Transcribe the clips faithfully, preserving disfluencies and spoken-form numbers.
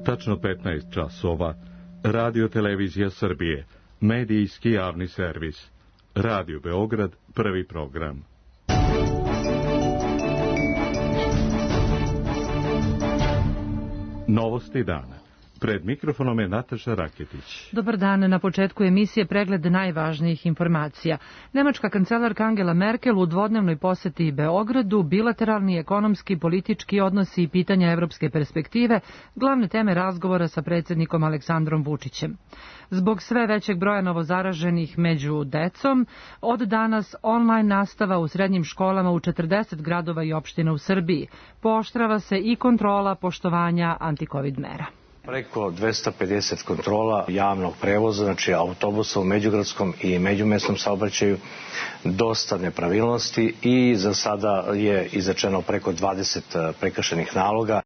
Tačno petnaest časova. Radio Televizija Srbije. Medijski javni servis. Radio Beograd, prvi program. Novosti dana. Pred mikrofonom je Nataša Raketić. Dobar dan, na početku emisije pregled najvažnijih informacija. Nemačka kancelarka Angela Merkel u dvodnevnoj poseti Beogradu, bilateralni, ekonomski, politički odnosi i pitanja evropske perspektive, glavne teme razgovora sa predsjednikom Aleksandrom Vučićem. Zbog sve većeg broja novozaraženih među decom, od danas online nastava u srednjim školama u četrdeset gradova i opština u Srbiji. Pooštrava se i kontrola poštovanja antikovid mera. Preko dvesta pedeset kontrola javnog prevoza, znači autobusa u međugradskom i međumesnom saobraćaju, dosta nepravilnosti i za sada je izrečeno preko dvadeset prekršajnih naloga.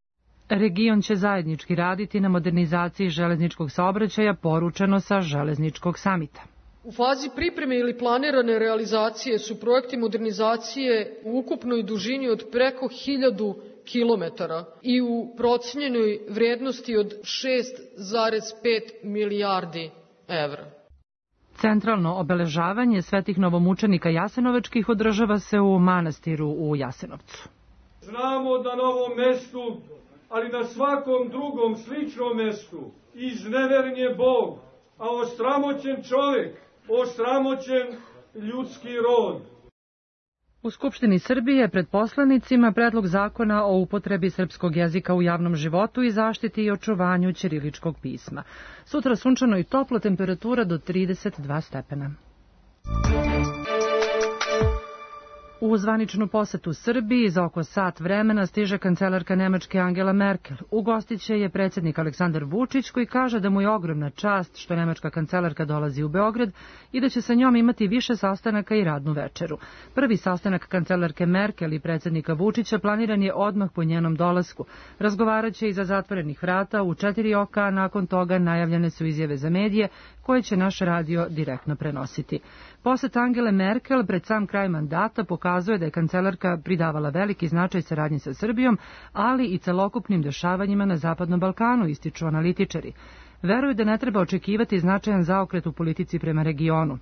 Region će zajednički raditi na modernizaciji železničkog saobraćaja, poručeno sa železničkog samita. U fazi pripreme ili planirane realizacije su projekti modernizacije u ukupnoj dužini od preko hiljadu kilometara i u procenjenoj vrijednosti od šest zarez pet milijardi evra. Centralno obeležavanje svetih novomučenika jasenovačkih održava se u manastiru u Jasenovcu. Znamo da na ovom mestu, ali na svakom drugom sličnom mestu, izneveren je Bog, a osramoćen čovjek, osramoćen ljudski rod. U Skupštini Srbije pred poslanicima predlog zakona o upotrebi srpskog jezika u javnom životu i zaštiti i očuvanju ćiriličkog pisma. Sutra sunčano i toplo, temperatura do trideset dva stepena. U zvaničnu posetu Srbiji za oko sat vremena stiže kancelarka Nemačke Angela Merkel. Ugostiće je predsjednik Aleksandar Vučić, koji kaže da mu je ogromna čast što nemačka kancelarka dolazi u Beograd i da će sa njom imati više sastanaka i radnu večeru. Prvi sastanak kancelarke Merkel i predsjednika Vučića planiran je odmah po njenom dolasku. Razgovarat će iza zatvorenih vrata u četiri oka, a nakon toga najavljene su izjave za medije koje će naš radio direktno prenositi. Poset Angele Merkel pred sam kraj mandata pokazuje da je kancelarka pridavala veliki značaj saradnji sa Srbijom, ali i celokupnim dešavanjima na Zapadnom Balkanu, ističu analitičari. Veruju da ne treba očekivati značajan zaokret u politici prema regionu.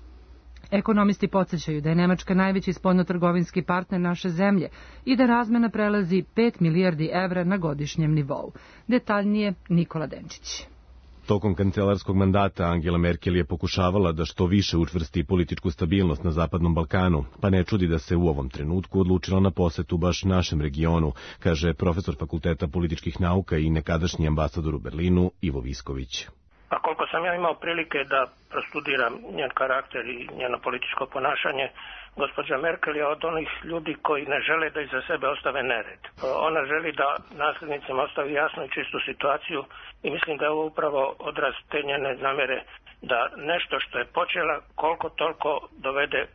Ekonomisti podsjećaju da je Nemačka najveći spoljnotrgovinski partner naše zemlje i da razmena prelazi pet milijardi evra na godišnjem nivou. Detaljnije Nikola Denčić. Tokom kancelarskog mandata Angela Merkel je pokušavala da što više učvrsti političku stabilnost na Zapadnom Balkanu, pa ne čudi da se u ovom trenutku odlučila na posetu baš našem regionu, kaže profesor Fakulteta političkih nauka i nekadašnji ambasador u Berlinu Ivo Visković. A koliko sam ja imao prilike da prostudiram njen karakter i njeno političko ponašanje, gospođa Merkel je od onih ljudi koji ne žele da iza sebe ostave nered. Ona želi da nasljednicima ostavi jasnu i čistu situaciju i mislim da je ovo upravo odraz te njene namjere da nešto što je počela koliko toliko dovede,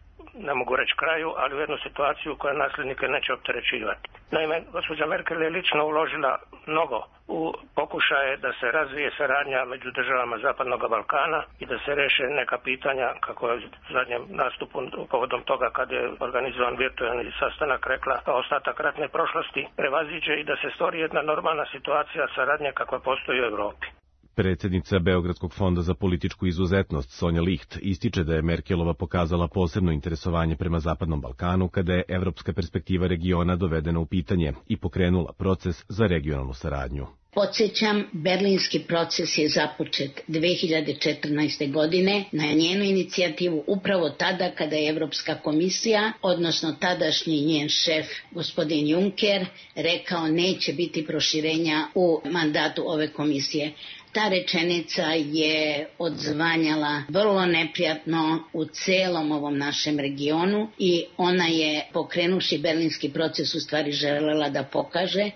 ne mogu reći kraju, ali u jednu situaciju koja nasljednike neće opterećivati. Naime, gospođa Merkel je lično uložila mnogo u pokušaje da se razvije saradnja među državama Zapadnog Balkana i da se reše neka pitanja, kako je u zadnjem nastupu povodom toga kad je organizovan virtualni sastanak rekla, ostatak ratne prošlosti prevaziđe i da se stvori jedna normalna situacija saradnje kakva postoji u Evropi. Predsjednica Beogradskog fonda za političku izuzetnost Sonja Licht ističe da je Merkelova pokazala posebno interesovanje prema Zapadnom Balkanu kada je evropska perspektiva regiona dovedena u pitanje i pokrenula proces za regionalnu saradnju. Podsjećam, berlinski proces je započet dve hiljade četrnaeste. godine na njenu inicijativu upravo tada kada je Evropska komisija, odnosno tadašnji njen šef, gospodin Juncker, rekao neće biti proširenja u mandatu ove komisije. Ta rečenica je odzvanjala vrlo neprijatno u celom ovom našem regionu i ona je, pokrenuši berlinski proces, u stvari želela da pokaže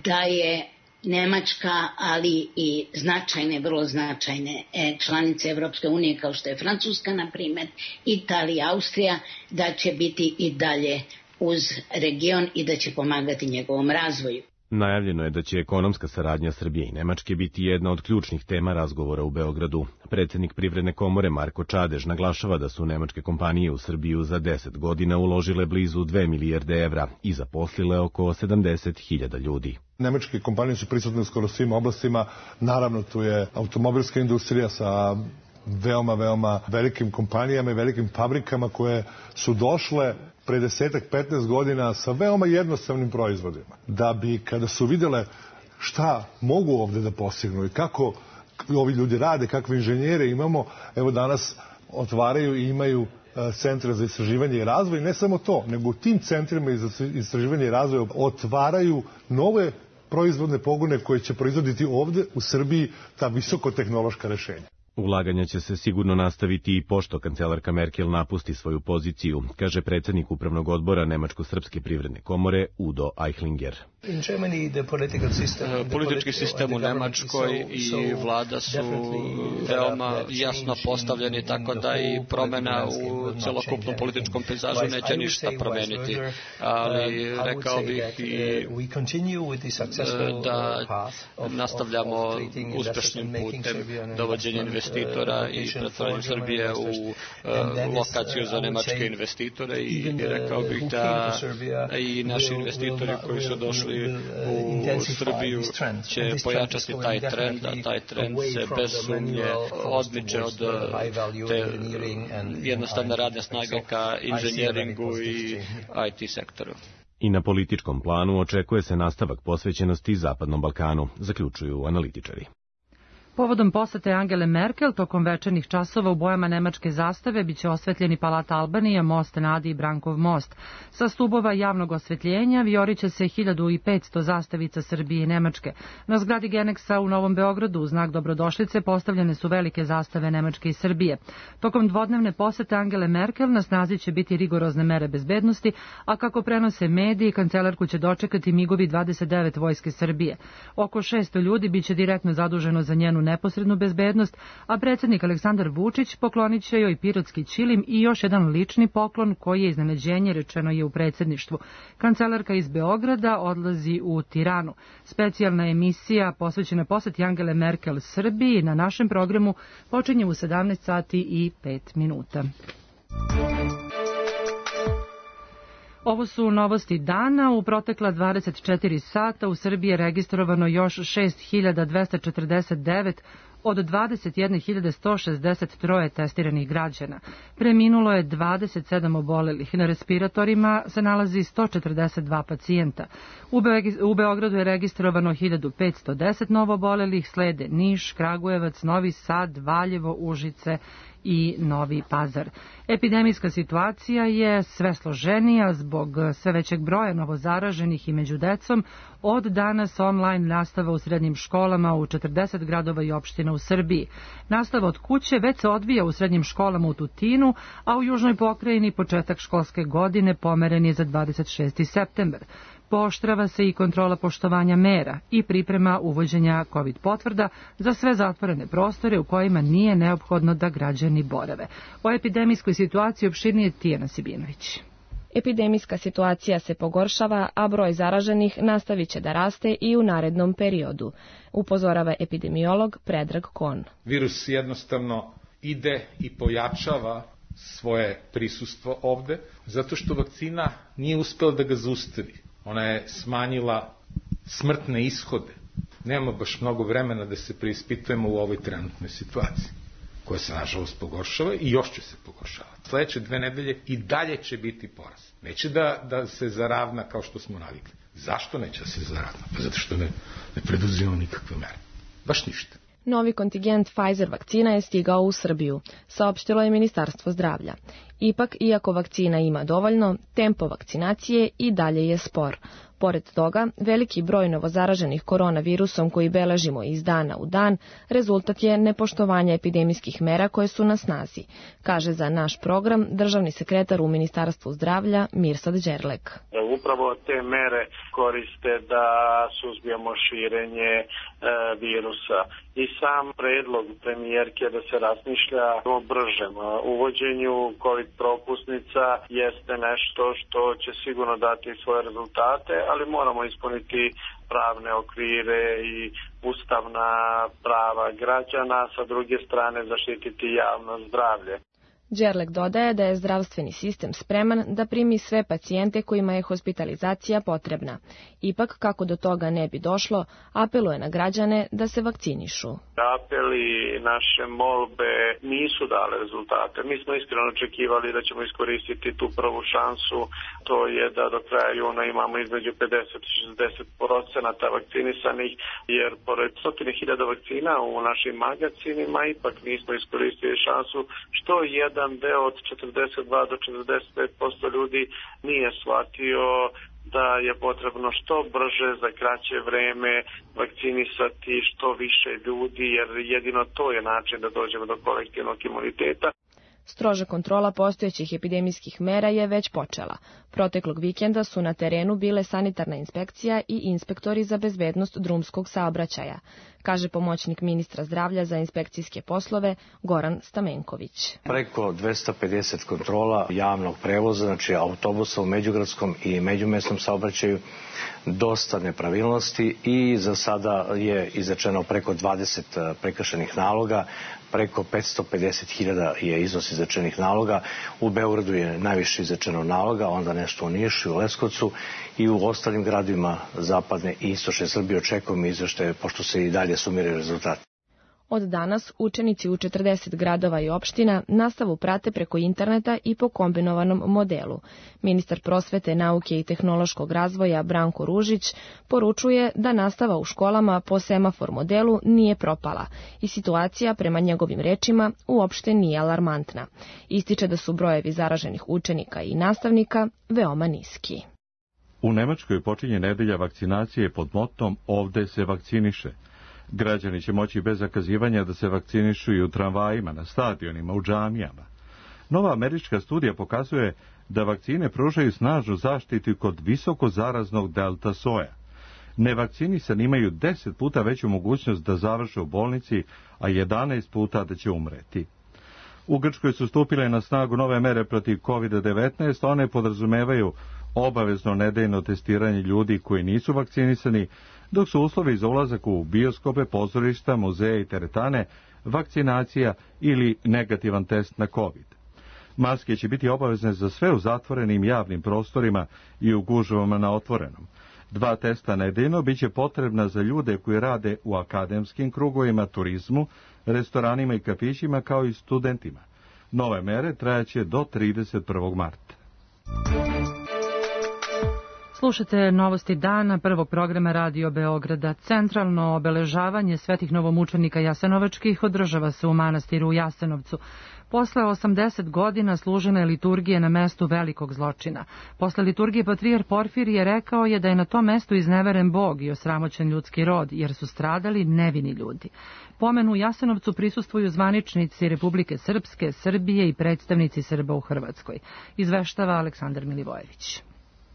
da je Nemačka, ali i značajne, vrlo značajne članice Evropske unije kao što je Francuska, na primjer, Italija, Austrija, da će biti i dalje uz region i da će pomagati njegovom razvoju. Najavljeno je da će ekonomska saradnja Srbije i Nemačke biti jedna od ključnih tema razgovora u Beogradu. Predsednik Privredne komore Marko Čadež naglašava da su nemačke kompanije u Srbiju za deset godina uložile blizu dve milijarde evra i zaposlile oko sedamdeset hiljada ljudi. Nemačke kompanije su prisutne u skoro svim oblastima. Naravno, tu je automobilska industrija sa veoma, veoma velikim kompanijama i velikim fabrikama koje su došle pre desetak, petnaest godina sa veoma jednostavnim proizvodima. Da bi, kada su videle šta mogu ovde da postignu i kako ovi ljudi rade, kakve inženjere imamo, evo danas otvaraju i imaju centre za istraživanje i razvoj. Ne samo to, nego u tim centrima za istraživanje i razvoj otvaraju nove proizvodne pogone koje će proizvoditi ovde u Srbiji ta visokotehnološka rešenja. Ulaganja će se sigurno nastaviti i pošto kancelarka Merkel napusti svoju poziciju, kaže predsednik Upravnog odbora Nemačko-srpske privredne komore Udo Eichlinger. Politički sistem u Nemačkoj i vlada su veoma jasno postavljeni, tako da i promena u celokupnom političkom pejzažu neće ništa promeniti. Ali rekao bih i da nastavljamo uspešnim putem dovođenja investitora i pretvaranje Srbije u lokaciju za nemačke investitore i rekao bih da i naši investitori koji su došli u Srbiju će pojačati taj trend, a taj trend se bez sumnje odmiče od te jednostavne radne snage ka inženjeringu i I T sektoru. I na političkom planu očekuje se nastavak posvećenosti Zapadnom Balkanu, zaključuju analitičari. Povodom posete Angele Merkel, tokom večernjih časova u bojama nemačke zastave biće osvetljeni Palat Albanija, most na Adi i Brankov most. Sa stubova javnog osvetljenja vijoriće se hiljadu petsto zastavica Srbije i Nemačke. Na zgradi Geneksa u Novom Beogradu u znak dobrodošlice postavljene su velike zastave Nemačke i Srbije. Tokom dvodnevne posete Angele Merkel na snazi će biti rigorozne mere bezbednosti, a kako prenose mediji, kancelarku će dočekati migovi dvadeset devet vojske Srbije. Oko šesto ljudi biće direktno zaduženo za njenu neposrednu bezbednost, a predsjednik Aleksandar Vučić poklonit će joj pirotski ćilim i još jedan lični poklon koji je iznenađenje, rečeno je u predsjedništvu. Kancelarka iz Beograda odlazi u Tiranu. Specijalna emisija posvećena poseti Angele Merkel Srbiji na našem programu počinje u sedamnaest sati i pet minuta. Ovo su novosti dana. U protekla dvadeset četiri sata u Srbiji je registrovano još šest hiljada dvesta četrdeset devet od dvadeset jedne hiljade sto šezdeset tri testiranih građana. Preminulo je dvadeset sedam obolelih. Na respiratorima se nalazi sto četrdeset dva pacijenta. U, Be- u Beogradu je registrovano hiljadu petsto deset novoobolelih, slede Niš, Kragujevac, Novi Sad, Valjevo, Užice i Novi Pazar. Epidemijska situacija je sve složenija zbog sve većeg broja novozaraženih i među decom. Od danas online nastava u srednjim školama u četrdeset gradova i opština u Srbiji. Nastava od kuće već se odvija u srednjim školama u Tutinu, a u južnoj pokrajini početak školske godine pomeren je za dvadeset šesti septembar. Pooštrava se i kontrola poštovanja mera i priprema uvođenja COVID potvrda za sve zatvorene prostore u kojima nije neophodno da građani borave. O epidemijskoj situaciji opširnije Tijana Sibinović. Epidemijska situacija se pogoršava, a broj zaraženih nastavit će da raste i u narednom periodu, upozorava epidemiolog Predrag Kon. Virus jednostavno ide i pojačava svoje prisustvo ovde, zato što vakcina nije uspela da ga zaustavi. Ona je smanjila smrtne ishode. Nema baš mnogo vremena da se preispitujemo u ovoj trenutnoj situaciji, koja se nažalost pogoršava i još će se pogoršavati. Sledeće dve nedelje i dalje će biti porast. Neće da, da se zaravna kao što smo navikli. Zašto neće da se zaravna? Pa zato što ne, ne preduzimamo nikakve mere. Baš ništa. Novi kontingent Pfizer vakcina je stigao u Srbiju, saopštilo je Ministarstvo zdravlja. Ipak, iako vakcina ima dovoljno, tempo vakcinacije i dalje je spor. Pored toga, veliki broj novozaraženih koronavirusom koji beležimo iz dana u dan, rezultat je nepoštovanja epidemijskih mera koje su na snazi, kaže za naš program državni sekretar u Ministarstvu zdravlja Mirsad Đerlek. Upravo te mere koriste da suzbijemo širenje e, virusa. I sam predlog premijerke da se razmišlja o bržem uvođenju COVID propusnica jeste nešto što će sigurno dati svoje rezultate, ali moramo ispuniti pravne okvire i ustavna prava građana, sa druge strane zaštititi javno zdravlje. Đerlek dodaje da je zdravstveni sistem spreman da primi sve pacijente kojima je hospitalizacija potrebna. Ipak, kako do toga ne bi došlo, apeluje na građane da se vakcinišu. Apeli, naše molbe nisu dale rezultate. Mi smo iskreno očekivali da ćemo iskoristiti tu prvu šansu, to je da do kraja juna imamo između pedeset do šezdeset procenata vakcinisanih, jer pored stotine hiljada vakcina u našim magazinima ipak nismo iskoristili šansu, što jedan deo od četrdeset dva do četrdeset pet posto ljudi nije shvatio da je potrebno što brže za kraće vreme vakcinisati što više ljudi, jer jedino to je način da dođemo do kolektivnog imuniteta. Stroža kontrola postojećih epidemijskih mera je već počela. Proteklog vikenda su na terenu bile sanitarna inspekcija i inspektori za bezbednost drumskog saobraćaja, kaže pomoćnik ministra zdravlja za inspekcijske poslove Goran Stamenković. Preko dvesta pedeset kontrola javnog prevoza, znači autobusa u međugradskom i međumesnom saobraćaju, dosta nepravilnosti i za sada je izrečeno preko dvadeset prekršenih naloga, preko petsto pedeset hiljada je iznos izrečenih naloga. U Beogradu je najviše izrečeno naloga, onda nešto u Nišu, u Leskovcu i u ostalim gradovima zapadne i istočne Srbije. Očekujemo izveštaje, pošto se i dalje sumiraju rezultati. Od danas učenici u četrdeset gradova i opština nastavu prate preko interneta i po kombinovanom modelu. Ministar prosvete, nauke i tehnološkog razvoja Branko Ružić poručuje da nastava u školama po semafor modelu nije propala i situacija, prema njegovim rečima, uopšte nije alarmantna. Ističe da su brojevi zaraženih učenika i nastavnika veoma niski. U Nemačkoj počinje nedelja vakcinacije pod motom "Ovde se vakciniše". Građani će moći bez zakazivanja da se vakcinišu i u tramvajima, na stadionima, u džamijama. Nova američka studija pokazuje da vakcine pružaju snažnu zaštitu kod visoko zaraznog delta soja. Nevakcinisani imaju deset puta veću mogućnost da završe u bolnici, a jedanaest puta da će umreti. U Grčkoj su stupile na snagu nove mere protiv kovid devetnaest, one podrazumevaju obavezno nedeljno testiranje ljudi koji nisu vakcinisani, dok su uslovi za ulazak u bioskope, pozorišta, muzeje i teretane vakcinacija ili negativan test na COVID. Maske će biti obavezne za sve u zatvorenim javnim prostorima i u gužvama na otvorenom. Dva testa nedeljno biće potrebna za ljude koji rade u akademskim krugovima, turizmu, restoranima i kafićima, kao i studentima. Nove mere trajaće do trideset prvog marta. Slušate novosti dana prvog programa Radio Beograda. Centralno obeležavanje svetih novomučenika jasenovačkih održava se u manastiru u Jasenovcu. Posle osamdeset godina služene liturgije na mestu velikog zločina. Posle liturgije patrijar Porfirije rekao je da je na tom mestu izneveren Bog i osramoćen ljudski rod, jer su stradali nevini ljudi. Pomenu u Jasenovcu prisustvuju zvaničnici Republike Srpske, Srbije i predstavnici Srba u Hrvatskoj. Izveštava Aleksandar Milivojević.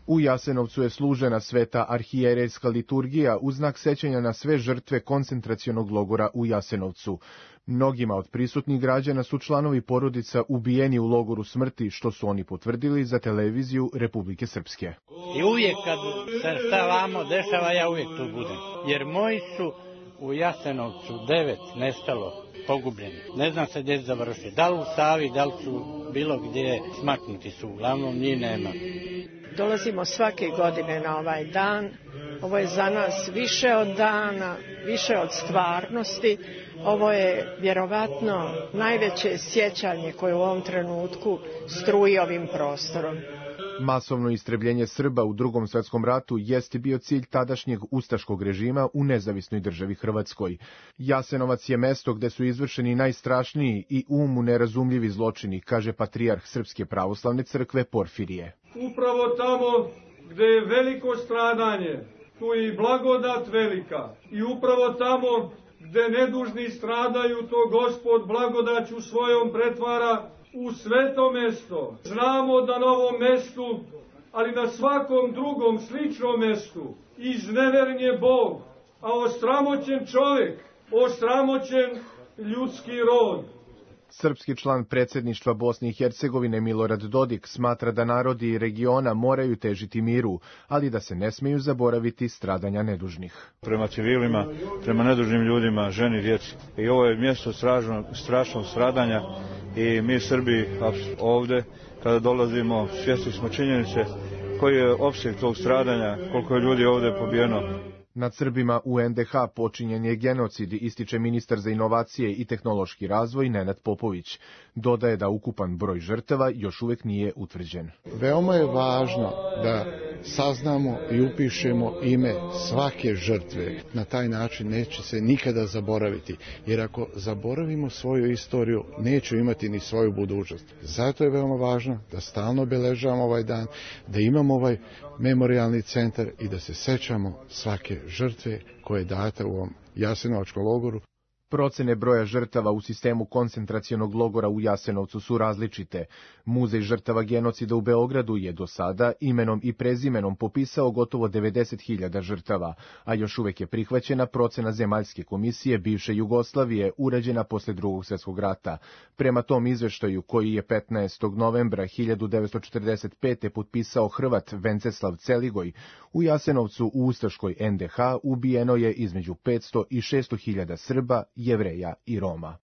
U Jasenovcu je služena sveta arhijerejska liturgija u znak sećanja na sve žrtve koncentracionog logora u Jasenovcu. Mnogima od prisutnih građana su članovi porodica ubijeni u logoru smrti, što su oni potvrdili za televiziju Republike Srpske. I uvijek kad se šta vamo dešava, ja uvijek tu budem. Jer moji su u Jasenovcu devet nestalo, pogubljeni. Ne znam se gdje završi. Da li u Savi, da li su bilo gdje, smaknuti su. Uglavnom njih nema. Dolazimo svake godine na ovaj dan. Ovo je za nas više od dana, više od stvarnosti. Ovo je vjerovatno najveće sjećanje koje u ovom trenutku struji ovim prostorom. Masovno istrebljenje Srba u Drugom svjetskom ratu jeste bio cilj tadašnjeg ustaškog režima u nezavisnoj državi Hrvatskoj. Jasenovac je mesto gde su izvršeni najstrašniji i umu nerazumljivi zločini, kaže patrijarh Srpske pravoslavne crkve Porfirije. Upravo tamo gde je veliko stradanje, tu je i blagodat velika. I upravo tamo gde nedužni stradaju, to Gospod blagodaću svojom pretvara u sveto mesto. Znamo da na ovom mestu, ali na svakom drugom sličnom mestu, izneveren je Bog, a osramoćen čovjek, osramoćen ljudski rod. Srpski član predsjedništva Bosne i Hercegovine Milorad Dodik smatra da narodi regiona moraju težiti miru, ali da se ne smiju zaboraviti stradanja nedužnih. Prema civilima, prema nedužnim ljudima, ženi, djeci. I ovo je mjesto strašnog, strašnog stradanja i mi Srbi ovdje, kada dolazimo, svjesni smo činjenice koji je opseg tog stradanja, koliko je ljudi ovdje pobijeno. Nad Srbima u en de ha počinjen je genocid, ističe ministar za inovacije i tehnološki razvoj Nenad Popović. Dodaje da ukupan broj žrtava još uvijek nije utvrđen. Veoma je važno da saznamo i upišemo ime svake žrtve. Na taj način neće se nikada zaboraviti, jer ako zaboravimo svoju istoriju, neću imati ni svoju budućnost. Zato je veoma važno da stalno obeležavamo ovaj dan, da imamo ovaj memorijalni centar i da se sećamo svake žrtve koje je data u ovom Jasenovačkom logoru. Procene broja žrtava u sistemu koncentracionog logora u Jasenovcu su različite. Muzej žrtava genocida u Beogradu je do sada imenom i prezimenom popisao gotovo devedeset hiljada žrtava, a još uvijek je prihvaćena procena Zemaljske komisije bivše Jugoslavije urađena posle Drugog svjetskog rata. Prema tom izveštaju, koji je petnaestog novembra hiljadu devetsto četrdeset pete potpisao Hrvat Venceslav Celigoj, u Jasenovcu u ustaškoj en de ha ubijeno je između petsto i šesto hiljada Srba, Jevreja i Roma.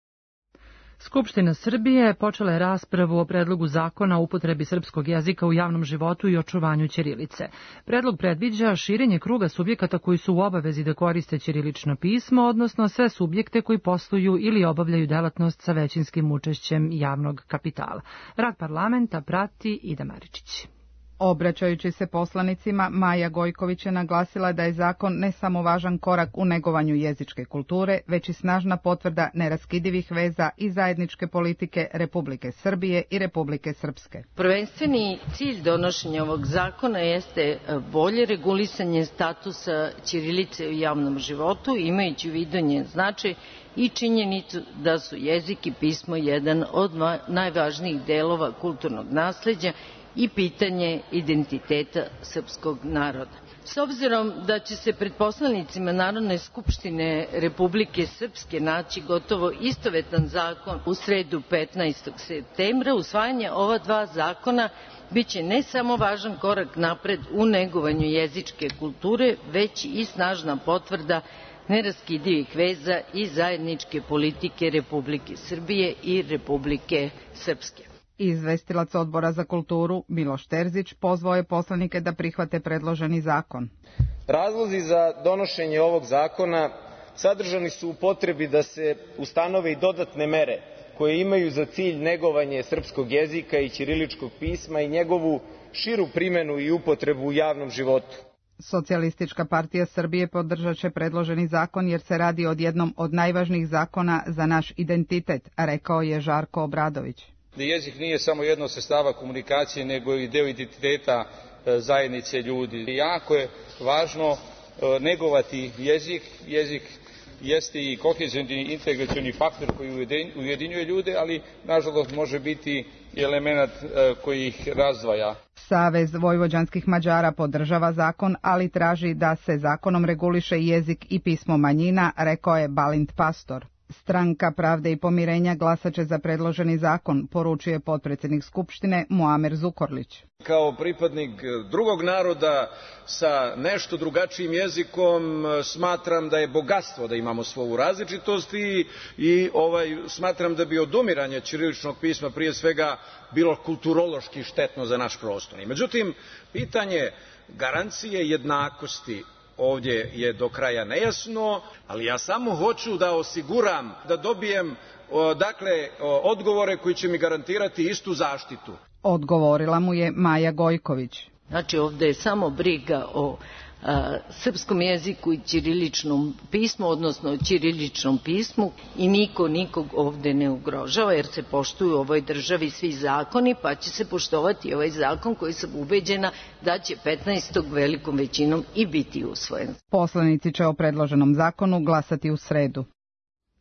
Skupština Srbije počela je raspravu o predlogu zakona o upotrebi srpskog jezika u javnom životu i očuvanju ćirilice. Predlog predviđa širenje kruga subjekata koji su u obavezi da koriste ćirilično pismo, odnosno sve subjekte koji posluju ili obavljaju delatnost sa većinskim učešćem javnog kapitala. Rad parlamenta prati Ida Maričić. Obraćajući se poslanicima, Maja Gojković je naglasila da je zakon ne samo važan korak u negovanju jezičke kulture, već i snažna potvrda neraskidivih veza i zajedničke politike Republike Srbije i Republike Srpske. Prvenstveni cilj donošenja ovog zakona jeste bolje regulisanje statusa ćirilice u javnom životu, imajući u vidu njen značaj i činjenicu da su jezik i pismo jedan od najvažnijih delova kulturnog nasleđa i pitanje identiteta srpskog naroda. S obzirom da će se pred poslanicima Narodne skupštine Republike Srpske naći gotovo istovetan zakon u sredu petnaestog septembra, usvajanje ova dva zakona biće ne samo važan korak napred u negovanju jezičke kulture, već i snažna potvrda neraskidivih veza i zajedničke politike Republike Srbije i Republike Srpske. Izvestilac Odbora za kulturu Miloš Terzić pozvao je poslanike da prihvate predloženi zakon. Razlozi za donošenje ovog zakona sadržani su u potrebi da se ustanove i dodatne mere koje imaju za cilj negovanje srpskog jezika i ćiriličkog pisma i njegovu širu primenu i upotrebu u javnom životu. Socijalistička partija Srbije podržat će predloženi zakon jer se radi o jednom od najvažnijih zakona za naš identitet, rekao je Žarko Obradović. Da jezik nije samo jedno od sredstava komunikacije, nego i deo identiteta zajednice ljudi. Jako je važno negovati jezik. Jezik jeste i kohezioni integracioni faktor koji ujedinjuje ljude, ali nažalost može biti i element koji ih razdvaja. Savez vojvođanskih Mađara podržava zakon, ali traži da se zakonom reguliše jezik i pismo manjina, rekao je Balint Pastor. Stranka Pravde i pomirenja glasaće za predloženi zakon, poručuje potpredsjednik Skupštine Muamer Zukorlić. Kao pripadnik drugog naroda sa nešto drugačijim jezikom smatram da je bogatstvo da imamo svoju različitost i, i ovaj, smatram da bi odumiranje ćiriličnog pisma prije svega bilo kulturološki štetno za naš prostor. Međutim, pitanje garancije jednakosti ovdje je do kraja nejasno, ali ja samo hoću da osiguram da dobijem dakle odgovore koji će mi garantirati istu zaštitu. Odgovorila mu je Maja Gojković. Znači ovdje je samo briga o a, srpskom jeziku i ćiriličnom pismu, odnosno ćiriličnom pismu i niko nikog ovdje ne ugrožava jer se poštuju u ovoj državi svi zakoni, pa će se poštovati ovaj zakon koji sam ubeđena da će petnaestog velikom većinom i biti usvojen. Poslanici će o predloženom zakonu glasati u sredu.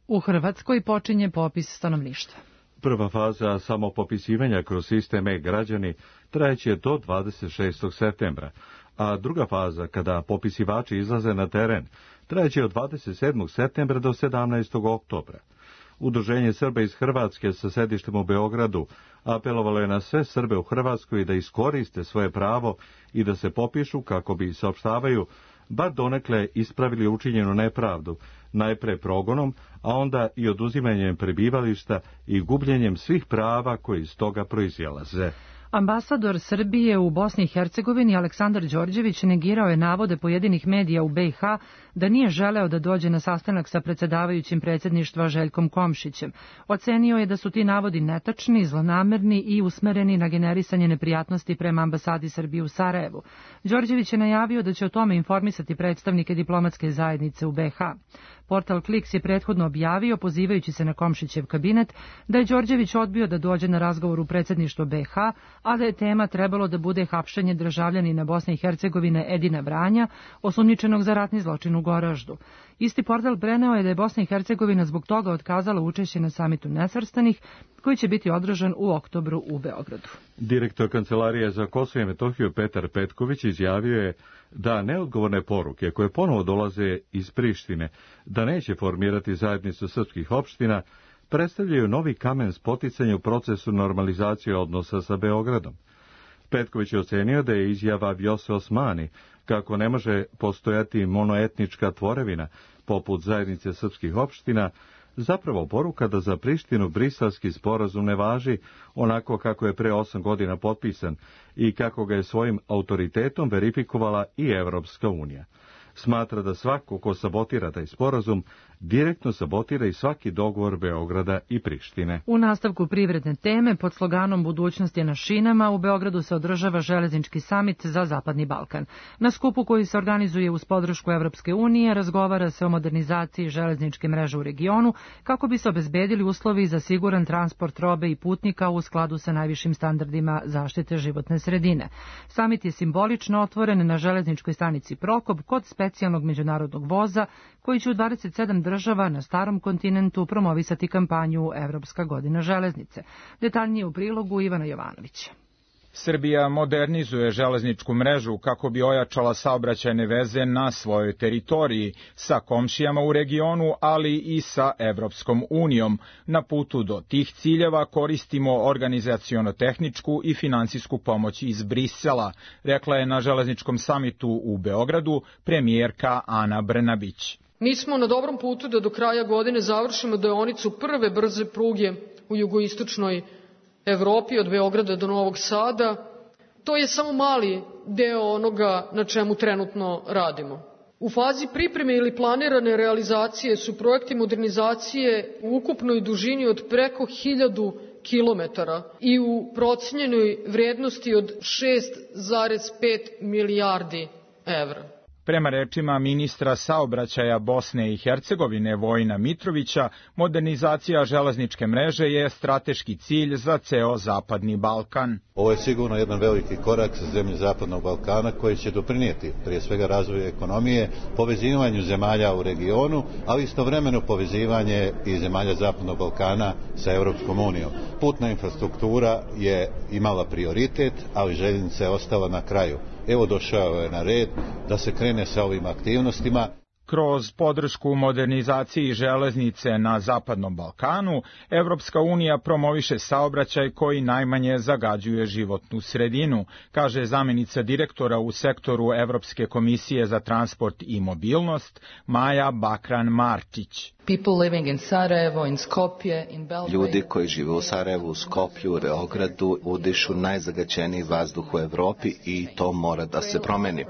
U Hrvatskoj počinje popis stanovništva. Prva faza samopopisivanja kroz sistem e-građani trajeće do dvadeset šestog septembra, a druga faza, kada popisivači izlaze na teren, trajeće od dvadeset sedmog septembra do sedamnaestog oktobra. Udruženje Srba iz Hrvatske sa sedištem u Beogradu apelovalo je na sve Srbe u Hrvatskoj da iskoriste svoje pravo i da se popišu kako bi, saopštavaju, bar donekle ispravili učinjenu nepravdu, najpre progonom, a onda i oduzimanjem prebivališta i gubljenjem svih prava koji iz toga proizilaze. Ambasador Srbije u Bosni i Hercegovini Aleksandar Đorđević negirao je navode pojedinih medija u B i H da nije želeo da dođe na sastanak sa predsedavajućim predsjedništva Željkom Komšićem. Ocenio je da su ti navodi netačni, zlonamerni i usmereni na generisanje neprijatnosti prema ambasadi Srbije u Sarajevu. Đorđević je najavio da će o tome informisati predstavnike diplomatske zajednice u B i H. Portal Kliks je prethodno objavio, pozivajući se na Komšićev kabinet, da je Đorđević odbio da dođe na razgovor u predsjedništvo B i H, a da je tema trebalo da bude hapšenje državljanina Bosne i Hercegovine Edina Vranja, osumnjičenog za ratni zločin u Goraždu. Isti portal preneo je da je Bosna i Hercegovina zbog toga otkazala učešće na samitu nesvrstanih, koji će biti održan u oktobru u Beogradu. Direktor Kancelarije za Kosovo i Metohiju Petar Petković izjavio je da neodgovorne poruke koje ponovo dolaze iz Prištine, da neće formirati zajednicu srpskih opština, predstavljaju novi kamen spoticanja u procesu normalizacije odnosa sa Beogradom. Petković je ocenio da je izjava Vjose Osmani kako ne može postojati monoetnička tvorevina poput zajednice srpskih opština zapravo poruka da za Prištinu Briselski sporazum ne važi onako kako je pre osam godina potpisan i kako ga je svojim autoritetom verifikovala i Evropska unija. Smatra da svako ko sabotira taj sporazum direktno sabotira i svaki dogovor Beograda i Prištine. U nastavku privredne teme pod sloganom Budućnost je na šinama u Beogradu se održava železnički samit za Zapadni Balkan. Na skupu koji se organizuje uz podršku Evropske unije razgovara se o modernizaciji železničke mreže u regionu kako bi se obezbedili uslovi za siguran transport robe i putnika u skladu sa najvišim standardima zaštite životne sredine. Samit je simbolično otvoren na železničkoj stanici Prokop kod specijalnog međunarodnog voza koji će u dvadeset sedam država na starom kontinentu promovisati kampanju Evropska godina železnice. Detaljnije u prilogu Ivana Jovanovića. Srbija modernizuje železničku mrežu kako bi ojačala saobraćajne veze na svojoj teritoriji sa komšijama u regionu, ali i sa Evropskom unijom. Na putu do tih ciljeva koristimo organizaciono-tehničku i finansijsku pomoć iz Brisela, rekla je na železničkom samitu u Beogradu premijerka Ana Brnabić. Mi smo na dobrom putu da do kraja godine završimo deonicu prve brze pruge u jugoistočnoj Evropi od Beograda do Novog Sada. To je samo mali deo onoga na čemu trenutno radimo. U fazi pripreme ili planirane realizacije su projekti modernizacije u ukupnoj dužini od preko hiljadu kilometara i u procenjenoj vrednosti od šest zarez pet milijardi evra. Prema rečima ministra saobraćaja Bosne i Hercegovine Vojina Mitrovića, modernizacija železničke mreže je strateški cilj za ceo Zapadni Balkan. Ovo je sigurno jedan veliki korak za zemlje Zapadnog Balkana koji će doprinijeti prije svega razvoju ekonomije, povezivanju zemalja u regionu, ali istovremeno povezivanje i zemalja Zapadnog Balkana sa Evropskom unijom. Putna infrastruktura je imala prioritet, ali željeznica je ostala na kraju. Evo došao je na red da se krene sa ovim aktivnostima. Kroz podršku modernizaciji železnice na Zapadnom Balkanu, Evropska unija promoviše saobraćaj koji najmanje zagađuje životnu sredinu, kaže zamjenica direktora u sektoru Evropske komisije za transport i mobilnost Maja Bakran-Marčić. Ljudi koji žive u Sarajevu, Skoplju, u Beogradu udišu najzagađeniji vazduh u Evropi i to mora da se promeni.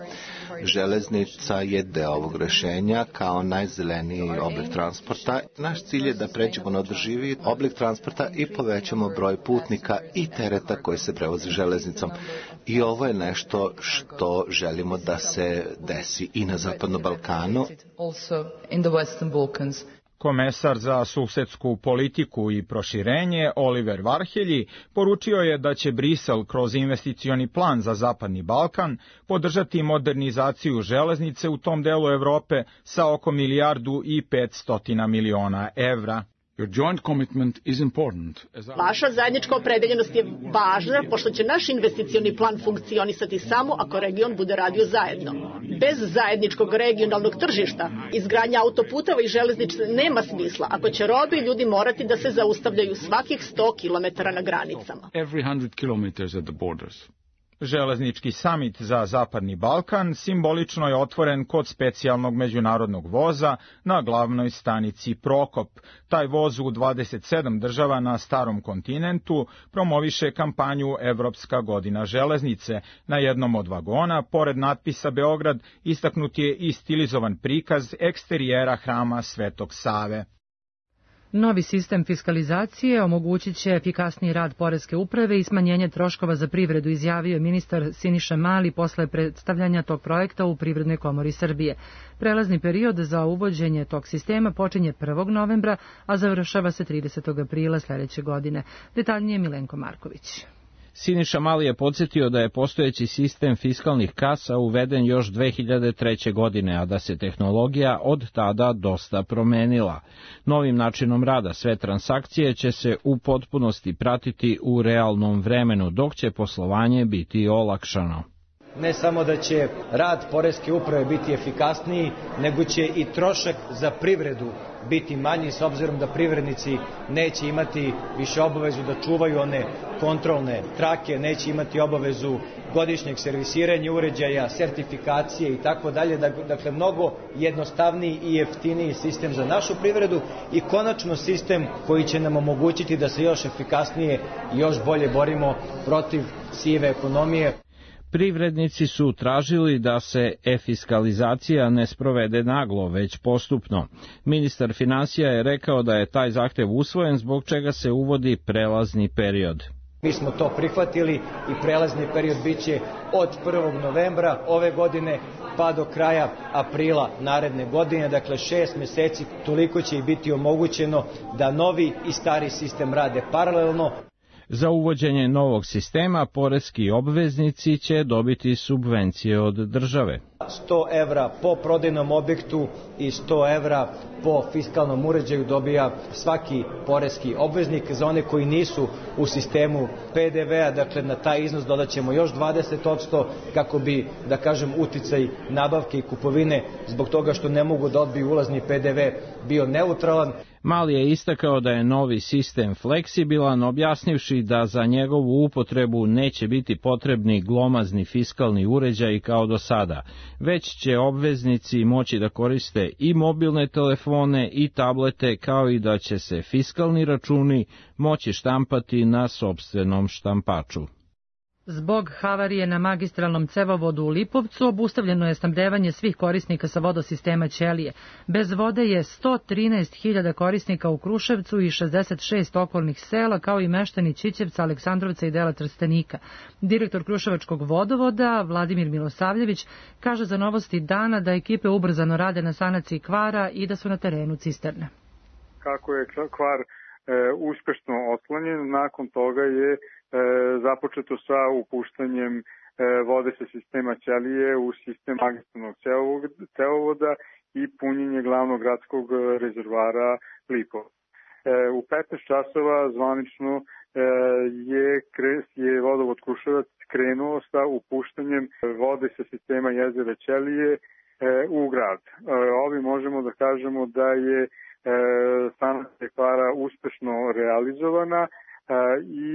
Železnica je deo ovog rešenja kao najzeleniji oblik transporta. Naš cilj je da pređemo na održiviji oblik transporta i povećamo broj putnika i tereta koji se prevozi železnicom. I ovo je nešto što želimo da se desi i na Zapadnom Balkanu. Komesar za susedsku politiku i proširenje Oliver Varhelji poručio je da će Brisel kroz investicioni plan za Zapadni Balkan podržati modernizaciju železnice u tom delu Evrope sa oko milijardu i petstotina miliona evra. Vaša zajednička opredeljenost je važna, pošto će naš investicioni plan funkcionisati samo ako region bude radio zajedno. Bez zajedničkog regionalnog tržišta izgradnja autoputeva i železnice nema smisla, ako će robe i ljudi morati da se zaustavljaju svakih sto kilometara na granicama. Železnički samit za Zapadni Balkan simbolično je otvoren kod specijalnog međunarodnog voza na glavnoj stanici Prokop. Taj voz u dvadeset sedam država na starom kontinentu promoviše kampanju Evropska godina železnice. Na jednom od vagona, pored natpisa Beograd, istaknut je i stilizovan prikaz eksterijera hrama Svetog Save. Novi sistem fiskalizacije omogućit će efikasniji rad poreske uprave i smanjenje troškova za privredu, izjavio je ministar Siniša Mali posle predstavljanja tog projekta u Privrednoj komori Srbije. Prelazni period za uvođenje tog sistema počinje prvog novembra, a završava se tridesetog aprila sledeće godine. Detaljnije Milenko Marković. Siniša Mali je podsjetio da je postojeći sistem fiskalnih kasa uveden još dve hiljade treće. godine, a da se tehnologija od tada dosta promenila. Novim načinom rada sve transakcije će se u potpunosti pratiti u realnom vremenu, dok će poslovanje biti olakšano. Ne samo da će rad poreske uprave biti efikasniji, nego će i trošak za privredu biti manji, s obzirom da privrednici neće imati više obavezu da čuvaju one kontrolne trake, neće imati obavezu godišnjeg servisiranja uređaja, sertifikacije i tako dalje. Dakle, mnogo jednostavniji i jeftiniji sistem za našu privredu i konačno sistem koji će nam omogućiti da se još efikasnije i još bolje borimo protiv sive ekonomije. Privrednici su tražili da se e-fiskalizacija ne sprovede naglo, već postupno. Ministar finansija je rekao da je taj zahtev usvojen, zbog čega se uvodi prelazni period. Mi smo to prihvatili i prelazni period biće od prvog novembra ove godine pa do kraja aprila naredne godine, dakle šest meseci, toliko će i biti omogućeno da novi i stari sistem rade paralelno. Za uvođenje novog sistema poreski obveznici će dobiti subvencije od države. sto evra po prodajnom objektu i sto evra po fiskalnom uređaju dobija svaki poreski obveznik. Za one koji nisu u sistemu P D V-a, dakle na taj iznos dodat ćemo još dvadeset posto kako bi, da kažem, uticaj nabavke i kupovine zbog toga što ne mogu da odbiju ulazni P D V bio neutralan. Mali je istakao da je novi sistem fleksibilan, objasnivši da za njegovu upotrebu neće biti potrebni glomazni fiskalni uređaji kao do sada, već će obveznici moći da koriste i mobilne telefone i tablete, kao i da će se fiskalni računi moći štampati na sopstvenom štampaču. Zbog havarije na magistralnom cevovodu u Lipovcu obustavljeno je snabdevanje svih korisnika sa vodosistema Ćelije. Bez vode je sto trinaest hiljada korisnika u Kruševcu i šezdeset šest okolnih sela, kao i meštani Ćićevca, Aleksandrovca i dela Trstenika. Direktor Kruševačkog vodovoda, Vladimir Milosavljević, kaže za Novosti dana da ekipe ubrzano rade na sanaciji kvara i da su na terenu cisterne. Kako je kvar e, uspešno otklonjen, nakon toga je E, započeto sa upuštanjem e, vode sa sistema Ćelije u sistem magistralnog cevovoda i punjenje glavnog gradskog rezervoara Lipo. E, u petnaest časova zvanično e, je, je vodovod Kruševac krenuo sa upuštanjem vode sa sistema jezera Ćelije e, u grad. E, ovi možemo da kažemo da je e, sanacija kvara uspešno realizovana e, i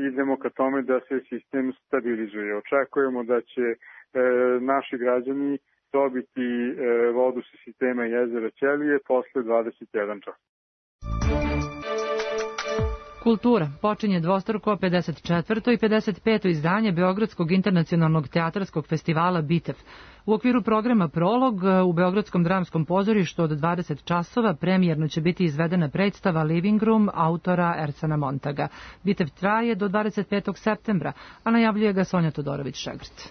idemo ka tome da se sistem stabilizuje. Očekujemo da će e, naši građani dobiti e, vodu sa sistema jezera Ćelije posle dvadeset jedan časa. Kultura počinje dvostruko pedeset četvrto i pedeset peto izdanje Beogradskog internacionalnog teatarskog festivala Bitev. U okviru programa Prolog u Beogradskom dramskom pozorištu od dvadeset časova premijerno će biti izvedena predstava Living Room autora Ersana Montaga. Bitev traje do dvadeset petog septembra, a najavljuje ga Sonja Todorović-Šegrt.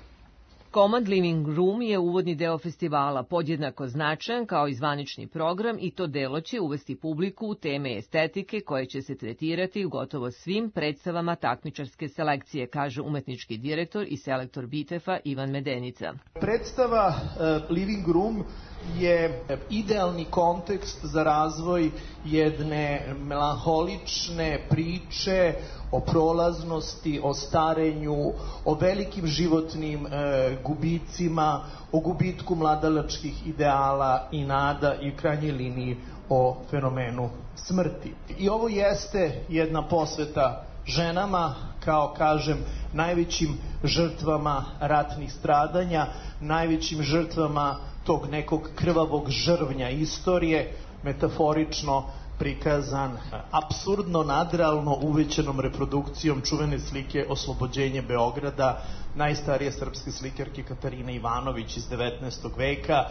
Komad Living Room je uvodni deo festivala, podjednako značajan kao i zvanični program, i to delo će uvesti publiku u teme estetike koje će se tretirati u gotovo svim predstavama takmičarske selekcije, kaže umetnički direktor i selektor Bitefa Ivan Medenica. Predstava uh, Living Room je idealni kontekst za razvoj jedne melanholične priče o prolaznosti, o starenju, o velikim životnim e, gubicima, o gubitku mladalačkih ideala i nada i u krajnjoj liniji o fenomenu smrti. I ovo jeste jedna posveta ženama, kao kažem, najvećim žrtvama ratnih stradanja, najvećim žrtvama tog nekog krvavog žrvnja istorije, metaforično prikazan apsurdno, nadrealno uvećanom reprodukcijom čuvene slike Oslobođenje Beograda, najstarije srpske slikarke Katarine Ivanović iz devetnaestog veka,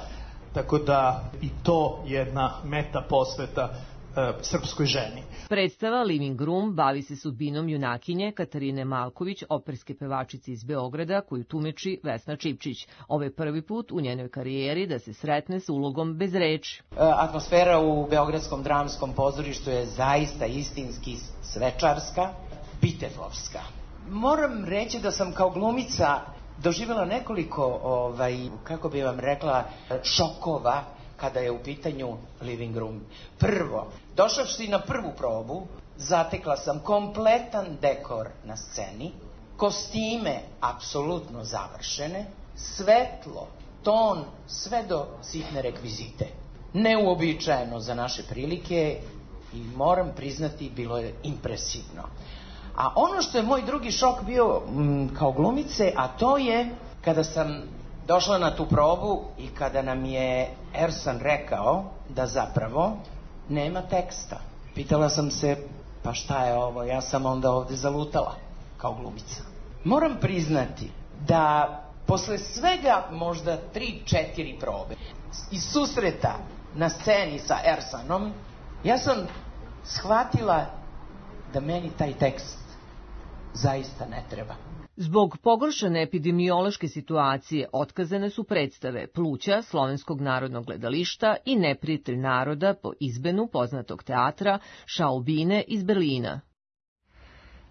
tako da i to jedna meta posveta e, srpskoj ženi. Predstava Living Room bavi se sudbinom junakinje Katarine Malković, operske pevačice iz Beograda, koju tumeči Vesna Čipčić. Ovo je prvi put u njenoj karijeri da se sretne s ulogom bez reči. Atmosfera u Beogradskom dramskom pozorištu je zaista istinski svečarska, bitefovska. Moram reći da sam kao glumica doživjela nekoliko, ovaj, kako bi vam rekla, šokova kada je u pitanju Living Room. Prvo, došavši na prvu probu, zatekla sam kompletan dekor na sceni, kostime apsolutno završene, svetlo, ton, sve do sitne rekvizite. Neuobičajeno za naše prilike i moram priznati, bilo je impresivno. A ono što je moj drugi šok bio m, kao glumice, a to je kada sam došla na tu probu i kada nam je Ersan rekao da zapravo nema teksta. Pitala sam se, pa šta je ovo, ja sam onda ovde zalutala kao glumica. Moram priznati da posle svega možda tri, četiri probe i susreta na sceni sa Ersanom, ja sam shvatila da meni taj tekst zaista ne treba. Zbog pogoršane epidemiološke situacije otkazane su predstave Pluća Slovenskog narodnog gledališta i Neprijatelj naroda po izbenu poznatog teatra Šaubine iz Berlina.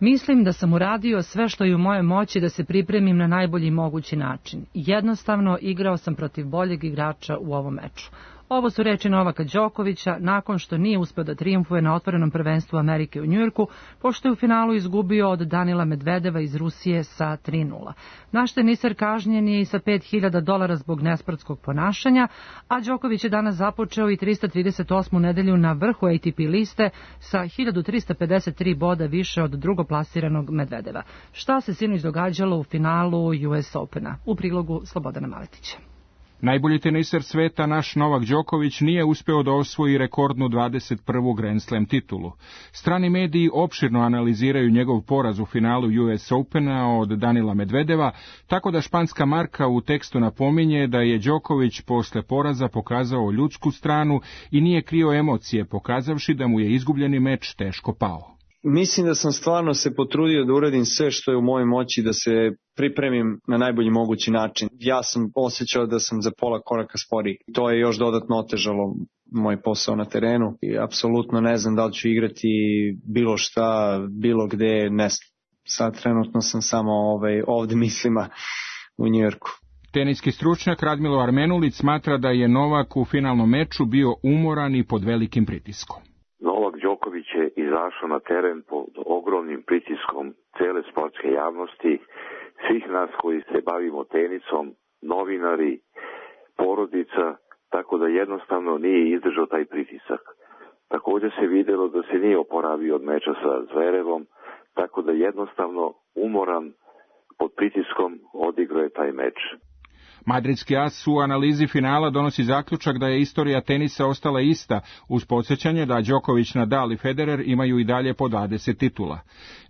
Mislim da sam uradio sve što je u moje moći da se pripremim na najbolji mogući način. Jednostavno, igrao sam protiv boljeg igrača u ovom meču. Ovo su reči Novaka Đokovića nakon što nije uspeo da trijumfuje na otvorenom prvenstvu Amerike u Njujorku, pošto je u finalu izgubio od Danila Medvedeva iz Rusije sa tri nula. Naš teniser kažnjen je i sa pet hiljada dolara zbog nesportskog ponašanja, a Đoković je danas započeo i trista trideset osmu nedelju na vrhu A T P liste sa hiljadu trista pedeset tri boda više od drugoplasiranog Medvedeva. Šta se sinoć događalo u finalu U S Opena? U prilogu Slobodana Maletića. Najbolji teniser sveta, naš Novak Đoković, nije uspeo da osvoji rekordnu dvadeset prvu Grand Slam titulu. Strani mediji opširno analiziraju njegov poraz u finalu U S Opena od Danila Medvedeva, tako da španska marka u tekstu napominje da je Đoković posle poraza pokazao ljudsku stranu i nije krio emocije, pokazavši da mu je izgubljeni meč teško pao. Mislim da sam stvarno se potrudio da uradim sve što je u mojoj moći da se pripremim na najbolji mogući način. Ja sam osjećao da sam za pola koraka sporiji. To je još dodatno otežalo moj posao na terenu i apsolutno ne znam da li ću igrati bilo šta, bilo gde, ne znam. Sad trenutno sam samo ovaj, ovde mislima u Njujorku. Teniski stručnjak Radmilo Armenulić smatra da je Novak u finalnom meču bio umoran i pod velikim pritiskom. Novak Đoković je izašao na teren pod ogromnim pritiskom cele sportske javnosti, svih nas koji se bavimo tenisom, novinari, porodica, tako da jednostavno nije izdržao taj pritisak. Također se vidjelo da se nije oporavio od meča sa Zverevom, tako da jednostavno umoran pod pritiskom odigrao je taj meč. Madridski as u analizi finala donosi zaključak da je istorija tenisa ostala ista, uz podsjećanje da Đoković, Nadal i Federer imaju i dalje po dvadeset titula.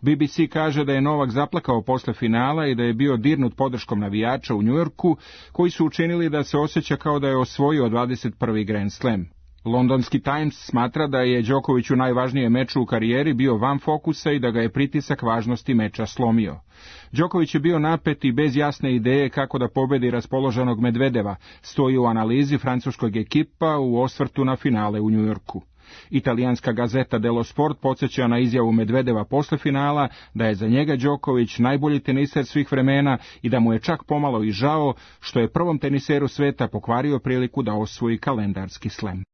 B B C kaže da je Novak zaplakao posle finala i da je bio dirnut podrškom navijača u Njujorku, koji su učinili da se osjeća kao da je osvojio dvadeset prvi Grand Slam. Londonski Times smatra da je Đoković u najvažnijem meču u karijeri bio van fokusa i da ga je pritisak važnosti meča slomio. Đoković je bio napet i bez jasne ideje kako da pobedi raspoloženog Medvedeva, stoji u analizi francuskog ekipa u osvrtu na finale u Njujorku. Italijanska gazeta Dello Sport podsjeća na izjavu Medvedeva posle finala da je za njega Đoković najbolji teniser svih vremena i da mu je čak pomalo i žao što je prvom teniseru sveta pokvario priliku da osvoji kalendarski slem.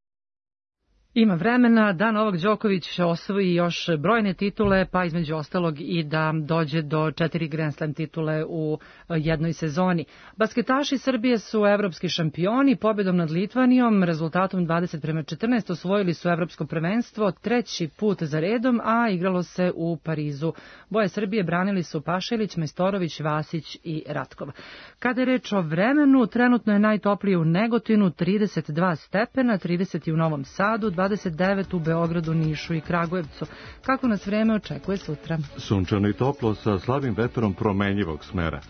Ima vremena da Novak Đoković osvoji još brojne titule, pa između ostalog i da dođe do četiri Grand Slam titule u jednoj sezoni. Basketaši Srbije su evropski šampioni, pobjedom nad Litvanijom, rezultatom dvadeset prema četrnaest osvojili su evropsko prvenstvo treći put za redom, a igralo se u Parizu. Boje Srbije branili su Pašalić, Majstorović, Vasić i Ratkov. Kada je reč o vremenu, trenutno je najtoplije u Negotinu, trideset dva stepena, trideset u Novom Sadu, dvadeset devet u Beogradu, Nišu i Kragujevcu. Kako nas vreme očekuje sutra? Sunčano i toplo sa slabim vetrom promenjivog smera.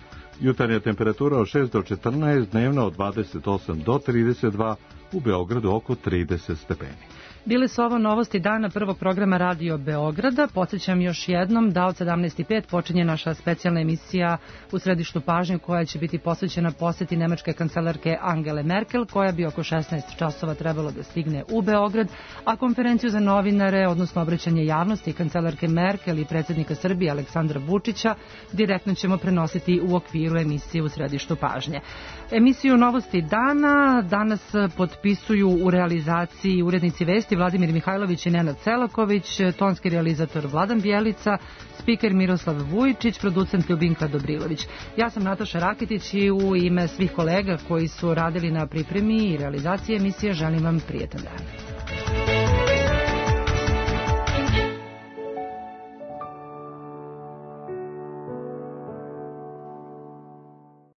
Jutarnja temperatura od šest do četrnaest, dnevna od dvadeset osam do trideset dva, u Beogradu oko trideset stepeni. Bile su ovo novosti dana prvog programa Radio Beograda. Podsjećam još jednom da od sedamnaest i pet počinje naša specijalna emisija u središtu pažnje koja će biti posvećena poseti nemačke kancelarke Angele Merkel, koja bi oko šesnaest časova trebalo da stigne u Beograd, a konferenciju za novinare, odnosno obraćanje javnosti kancelarke Merkel i predsjednika Srbije Aleksandra Vučića, direktno ćemo prenositi u okviru emisije u središtu pažnje. Emisiju Novosti dana danas potpisuju u realizaciji urednici vesti Vladimir Mihajlović i Nenad Celaković, tonski realizator Vladan Bjelica, spiker Miroslav Vujičić, producent Ljubinka Dobrilović. Ja sam Nataša Rakitić i u ime svih kolega koji su radili na pripremi i realizaciji emisije želim vam prijetan dan.